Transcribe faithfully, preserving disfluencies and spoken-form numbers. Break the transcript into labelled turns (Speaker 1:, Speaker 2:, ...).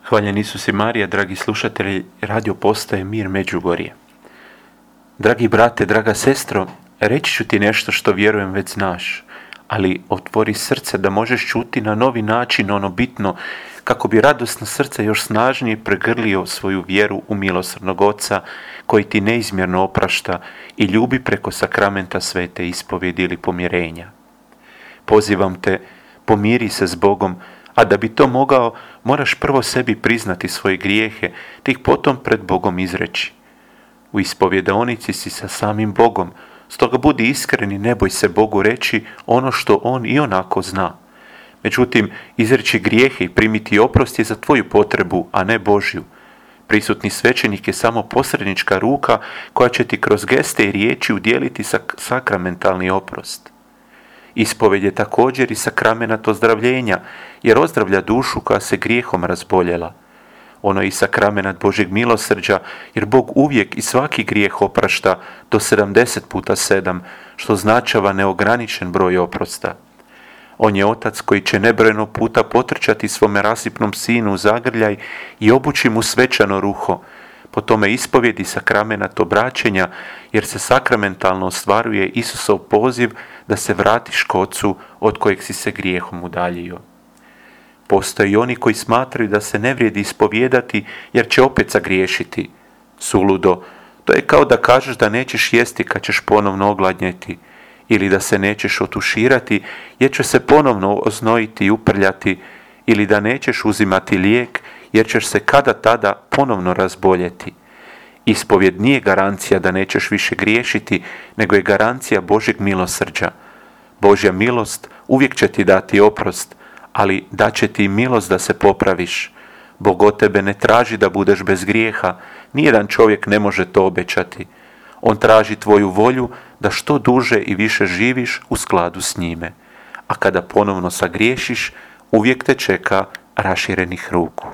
Speaker 1: Hvaljen Isus i Marija, dragi slušatelji radio postaje Mir Međugorje. Dragi brate, draga sestro, reći ću ti nešto što vjerujem već znaš, ali otvori srce da možeš čuti na novi način ono bitno, kako bi radosno srce još snažnije pregrlio svoju vjeru u milosrdnog Oca, koji ti neizmjerno oprašta i ljubi preko sakramenta svete ispovjedi ili pomirenja. Pozivam te, pomiri se s Bogom, a da bi to mogao, moraš prvo sebi priznati svoje grijehe, te ih potom pred Bogom izreći. U ispovjedaonici si sa samim Bogom, stoga budi iskren i ne boj se Bogu reći ono što On i onako zna. Međutim, izreći grijehe i primiti oprost je za tvoju potrebu, a ne Božju. Prisutni svećenik je samo posrednička ruka koja će ti kroz geste i riječi udjeliti sak- sakramentalni oprost. Ispovjed je također i sakramenat ozdravljenja, jer ozdravlja dušu koja se grijehom razboljela. Ono je i sakramenat Božjeg milosrđa, jer Bog uvijek i svaki grijeh oprašta do sedamdeset puta sedam, što značava neograničen broj oprosta. On je Otac koji će nebrojeno puta potrčati svome rasipnom sinu u zagrljaj i obući mu svečano ruho. Po tome ispovjedi sakramenat obraćenja, jer se sakramentalno ostvaruje Isusov poziv da se vratiš k Ocu od kojeg si se grijehom udaljio. Postoje i oni koji smatraju da se ne vrijedi ispovijedati jer će opet zagriješiti. Suludo, to je kao da kažeš da nećeš jesti kad ćeš ponovno ogladnjeti, ili da se nećeš otuširati jer će se ponovno oznojiti i uprljati, ili da nećeš uzimati lijek jer ćeš se kada tada ponovno razboljeti. Ispovjed nije garancija da nećeš više griješiti, nego je garancija Božjeg milosrđa. Božja milost uvijek će ti dati oprost, ali daće ti milost da se popraviš. Bog od tebe ne traži da budeš bez grijeha, nijedan čovjek ne može to obećati. On traži tvoju volju da što duže i više živiš u skladu s njime. A kada ponovno sagriješiš, uvijek te čeka raširenih ruku.